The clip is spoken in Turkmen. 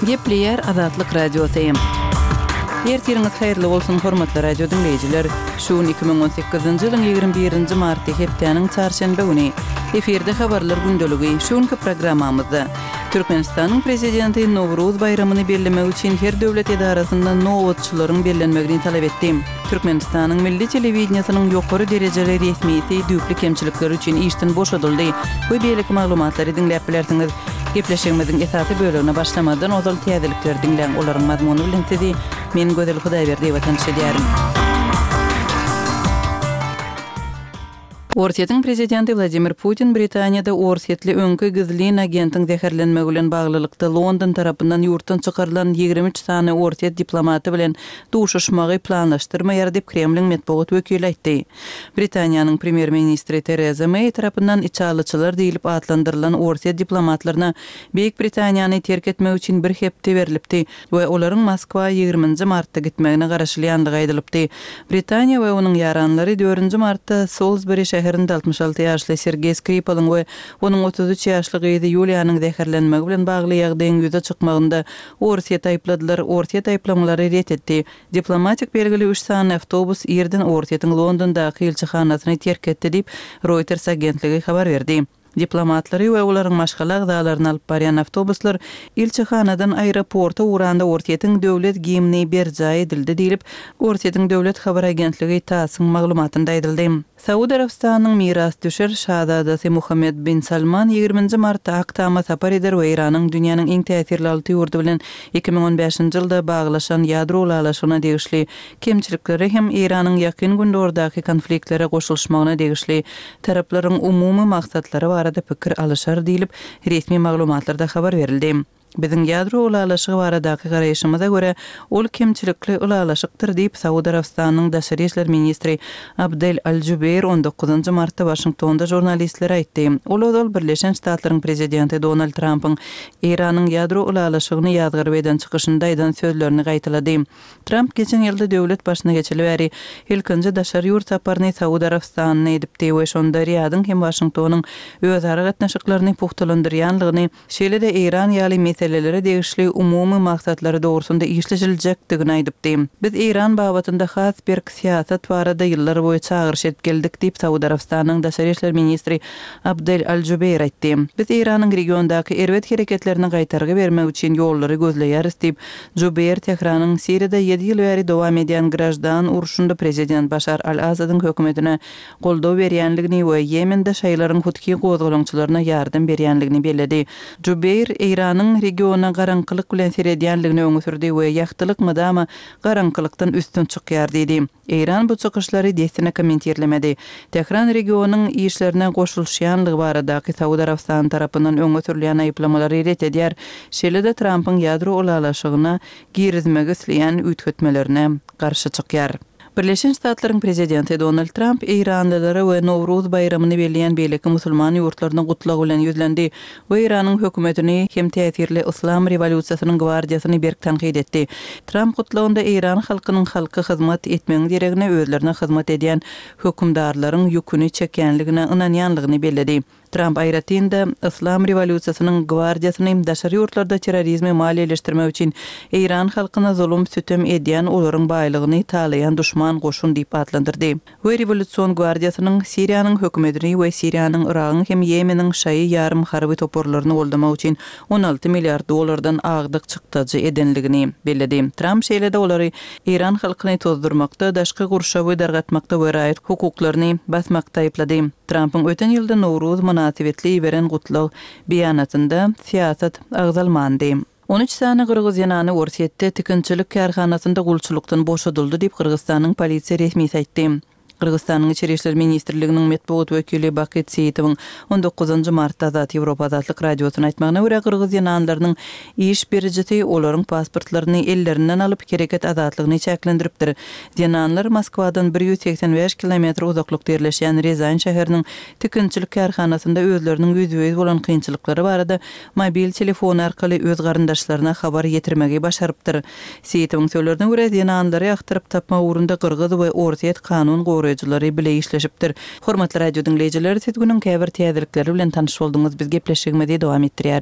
Gepleýär Azatlyk Radiosy. Ertiriňiz haýyrly bolsun, hormatly radio diňleýjiler! Şu gün 2018-nji ýylyň 21-nji marty, hepdäniň çarşenbe güni. Efirde Habarlar gündeligi. Şu günki programmamyzda Türkmenistanyň Prezidenti Nowruz baýramyny bellemek üçin her döwlet edarasynda nobatçylaryň bellenmegini talap etdi. Türkmenistanyň milli telewideniýesiniň ýokary derejeli resmisi düýpli kemçilikleri üçin işden boşadyldy we beýleki maglumatlary diňläp bilersiňiz. Gepleşigimiziň esasy bölegine başlamazdan ozal täzelikleri diňläň, olaryň mazmuny bilen sizi men Gözel Hudaýberdiýewa tanyş edýärin. Orsýetiň prezidenti Wladimir Putin Britaniýada orsýetli öňki gizlin agentiň zäherlenmegi bilen baglylykda London tarapyndan ýurtdan çykarylan 23 sany orsýet diplomaty bilen duşuşmagy planlaşdyrmaýar diýip, Kremliň metbugat wekili aýtdy. Britaniýanyň premýer-ministri Tereza Meý tarapyndan içalyçylar diýlip atlandyrylan orsýet diplomatlaryna Beýik Britaniýany terk etmek üçin bir hepde berlipdi we olaryň Moskwa ýigriminji martda gitmegine garaşylýandygy aýdylypdy. Britaniýa we onuň ýaranlary dördünji martda Solsberi şäherinde 66 ýaşly Sergeý Skripalyň we onuň 33 ýaşly gyzy Ýuliýanyň zäherlenmegi bilen bagly ýagdaýyň ýüze çykmagynda Orsýeti aýypladylar. Orsýet aýyplamalary ret etdi. Diplomatik belgili üç sany awtobus irden Orsýetiň Londondaky ilçihanasyny terk etdi diýip, Reuters agentligi habar berdi. Diplomatlary we olaryň maşgala agzalaryny alyp barýan awtobuslar ilçihanadan aeroporta ugranda Orsýetiň döwlet gimni berjaý edildi diýlip, Orsýetiň döwlet habar agentligi TASS-yň maglumatynda aýdyldy. Saud Arabystanynyň mirasdüşer şazadasy Muhammed bin Salman ýigriminji martda Ak Tama sapar eder we Eýranyň dünýäniň iň täsirli alty ýurdy bilen 2015-nji ýylda baglaşan ýadro ylalaşygyna degişli kemçiliklere hem Eýranyň Ýakyn Gündogardaky konfliktlere goşulyşmagyna degişli taraplaryň umumy maksatlary barada pikir alyşar diýlip, resmi maglumatlarda habar berildi. Biziň ýadro ylalaşygy baradaky garaýşymyza görä, ol kemçilikli ylalaşykdyr diýip, Saud Arabystanynyň daşary işler ministri Abdel Al-Jubeir on dokuzynjy martda Waşingtonda žurnalistlere aýtdy. Ol ozal Birleşen Ştatlaryň prezidenti Donald Trampyň Eýranyň ýadro ylalaşygyny ýazgaryp eden çykyşynda aýdan sözlerini gaýtalady. Tramp geçen ýylda döwlet başyna geçeli bäri ilkinji daşary ýurt saparyny Saud Arabystanyna edipdi we şonda Riýadyň hem Waşingtonyň özara gatnaşyklaryny pugtalandyrýanlygyny Şeýle-de Eýran ýaly meselelere degişli umumy maksatlary dogrusynda işleşiljekdigini aýdypdy. Biz Eýran babatynda has berk syýasat barada ýyllar boýy çagyryş edip geldik diýip, Saud Arabystanynyň daşary işler ministri Abdel Al-Jubeir aýtdy. Biz Eýranyň regiondaky erbet hereketlerine gaýtargy bermek üçin ýollary gözleýäris diýip, Jubeir Tähranyň Siriýada ýedi ýyl bäri dowam edýän graždan urşunda prezident Başar al-Asadyň hökümetine goldaw berýänligini we Ýemende şaýylaryň huthi gozgalaňçylaryna ýardam berýänligini belledi. Jubeýr Eýranyň regiona garaňkylyk bilen seredýänligini öňe sürdi we ýagtylyk mydama garaňkylykdan üstün çykýar diýdi. Eýran bu çykyşlary dessine kommentirlemedi. Tähran regionyň işlerine goşulyşýanlygy baradaky Saud Arabystany tarapyndan öňe sürülýän aýyplamalary ret edýär, şeýle-de Trampyň ýadro ylalaşygyna girizmegi isleýän üýtgetmelerine garşy çykýar. Birleşen Ştatlaryň prezidenti Donald Tramp eýranlylara we Nowruz baýramyny belleýän beýleki musulman ýurtlaryna gutlag bilen ýüzlendi we Eýranyň hökümetini hem täsirli Yslam rewolýusiýasynyň gwardiýasyny berk tankyt etdi. Tramp gutlagynda eýran halkynyň halka hyzmat etmegiň deregine özlerine hyzmat edýän hökümdarlaryň ýüküni çekýänligine ynanýanlygyny belledi. Tramp aýratyn-da, Yslam rewolýusiýasynyň gwardiýasyny daşary ýurtlarda terrorizmi maliýeleşdirmek üçin eýran halkyna zulum-sütem edýän, olaryň baýlygyny talaýan duşman goşun diýip atlandyrdy we Rewolýusion gwardiýasynyň Siriýanyň hökümetini we Siriýanyň, Yragyň hem Ýemeniň şaýy ýarym harby toparlaryny goldamak üçin 16 milliard dollardan agdyk çykdajy edenligini belledi. Tramp şeýle-de olary eýran halkyny tozdurmakda, daşky gurşawy dargatmakda we raýat hukuklaryny basmakda aýyplady. Trampyň öten ýylda Nowruz mynasybetli iberen gutlag beýanatynda syýasat agzalmandy. 13 sany gyrgyz zenany Orsýetde tikinçilik kärhanasynda gulçulykdan boşadyldy diýip, Gyrgyzystanyň polisiýa resmisi aýtdy. Gyrgyzystanyň Içeri işler ministrliginiň metbugat wekili Bakyt Seýitowyň on dokuzynjy martda Azat Ýewropa Azatlyk Radiosyna aýtmagyna görä, gyrgyz zenanlarynyň iş berijisi olaryň pasportlaryny ellerinden alyp, hereket azatlygyny çäklendiripdir. Zenanlar Moskwadan 185 kilometr uzaklykda ýerleşýän Rýazan şäheriniň tikinçilik kärhanasynda özleriniň ýüzbe-ýüz bolan kynçylyklary barada mobil telefony arkaly öz garyndaşlaryna habar ýetirmegi başarypdyr. Seýitowyň sözlerine görä, zenanlary agtaryp tapmak ugrunda gyrgyz we orsýet kanun goraýjylary bile işleşipdir. Hormatly radio diňleýjiler, siz günüň käbir täzelikleri bilen tanyş bolduňyz, biz gepleşigimizi dowam etdirýäris.